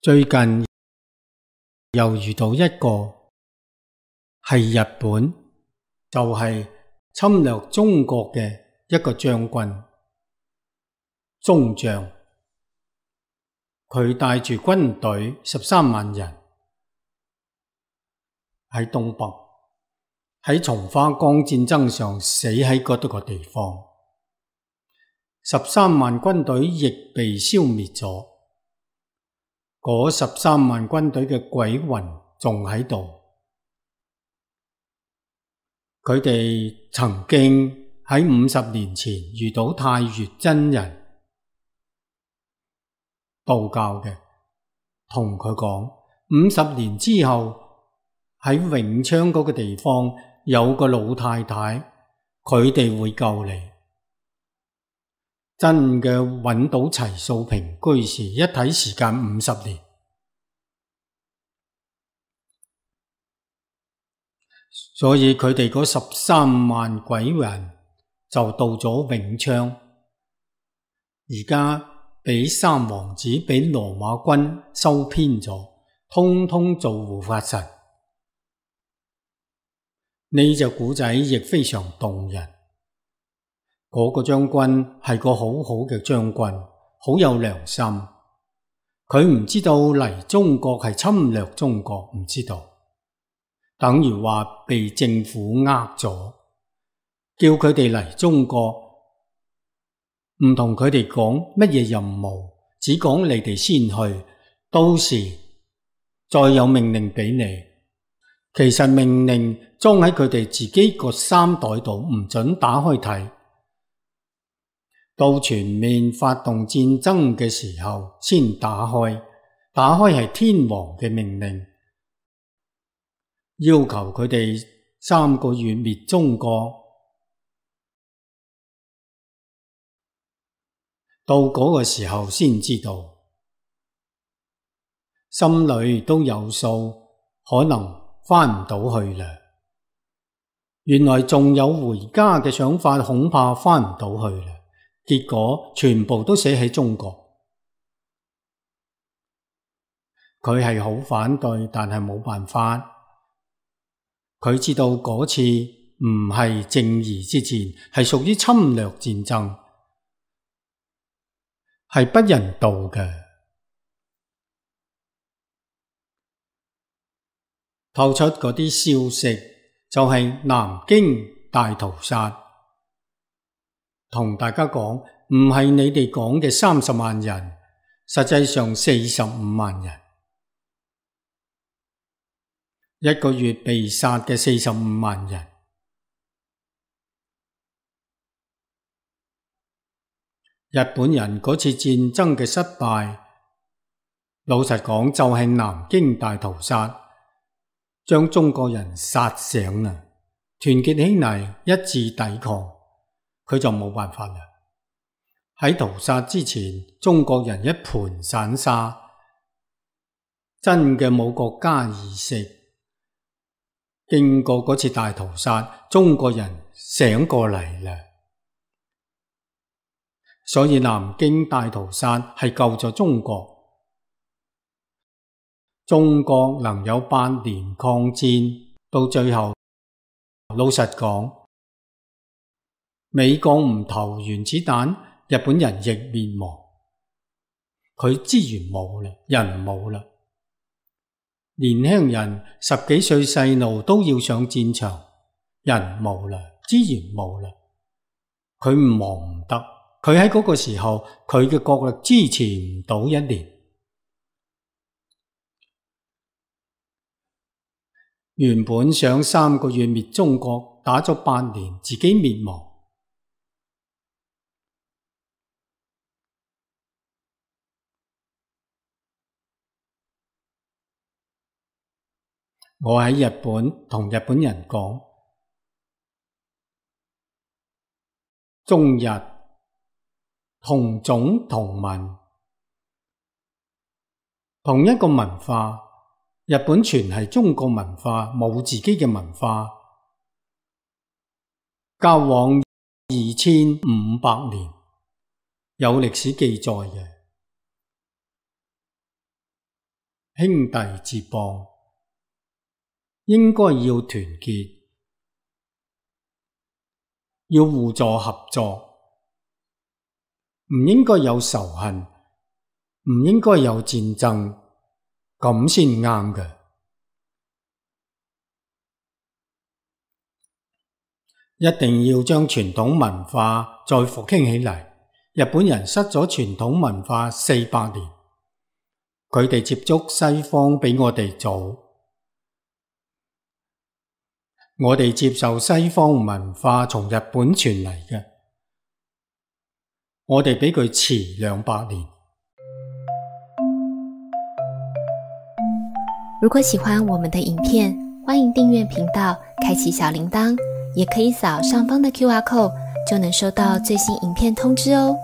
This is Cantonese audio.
最近又遇到一個係日本，就係侵略中國嘅一個將軍中將，佢帶住軍隊13萬人喺東北，喺松花江戰爭上死喺嗰度個地方，13萬軍隊亦被消滅咗。嗰13萬軍隊嘅鬼魂仲喺度。佢哋曾經喺50年前遇到太乙真人，道教嘅，同佢講50年之後喺永昌嗰個地方有個老太太，佢哋會救你。真嘅揾到齊素萍居士，一睇時間50年。所以佢哋嗰13萬鬼魂就到咗永昌，而家俾三王子俾羅馬軍收編咗，通通做護法神。呢隻古仔亦非常動人。嗰個將軍係個好好嘅將軍，好有良心。佢唔知道嚟中國係侵略中國，唔知道。等於話被政府呃咗，叫佢哋嚟中國，唔同佢哋講乜嘢任務，只講你哋先去，到時再有命令俾你。其實命令裝喺佢哋自己個衫袋度，唔准打開睇。到全面發動戰爭嘅時候先打開，打開係天皇嘅命令，要求佢哋3個月滅中國。到嗰個時候先知道，心裏都有數，可能返唔到去啦。原來仲有回家嘅想法，恐怕返唔到去啦。結果全部都死喺中國。佢係好反對，但係冇辦法。佢知道嗰次唔係正義之戰，係屬於侵略戰爭，係不人道嘅。透出嗰啲消息，就係南京大屠殺。同大家講，唔係你哋講嘅30萬人，實際上45萬人。一個月被殺嘅45萬人。日本人嗰次戰爭嘅失敗，老實講就係南京大屠殺，將中國人殺醒啦，團結起嚟一致抵抗，佢就冇辦法啦。喺屠殺之前，中國人一盤散沙，真嘅冇國家意識。經過嗰次大屠殺，中國人醒過嚟啦，所以南京大屠殺係救咗中國。中國能有8年抗戰，到最後，老實講，美國唔投原子彈，日本人亦滅亡。佢資源冇啦，人冇啦。年輕人10幾歲細路都要上戰場，人冇啦，資源冇啦，佢唔忙唔得。佢喺嗰個時候，佢嘅國力支持唔到1年。原本想3個月滅中國，打咗8年，自己滅亡。我喺日本同日本人講，中日同種同文，同一個文化。日本全係中國文化，冇自己嘅文化。交往2500年，有歷史記載嘅。兄弟接邦，應該要團結，要互助合作，唔應該有仇恨，唔應該有戰爭，咁先啱嘅。一定要將傳統文化再復興起嚟。日本人失咗傳統文化400年，佢哋接觸西方比我哋早，我哋接受西方文化從日本傳嚟嘅，我哋比佢遲200年。如果喜歡我們的影片，歡迎訂閱頻道，開啟小鈴鐺，也可以掃上方的QR code，就能收到最新影片通知哦。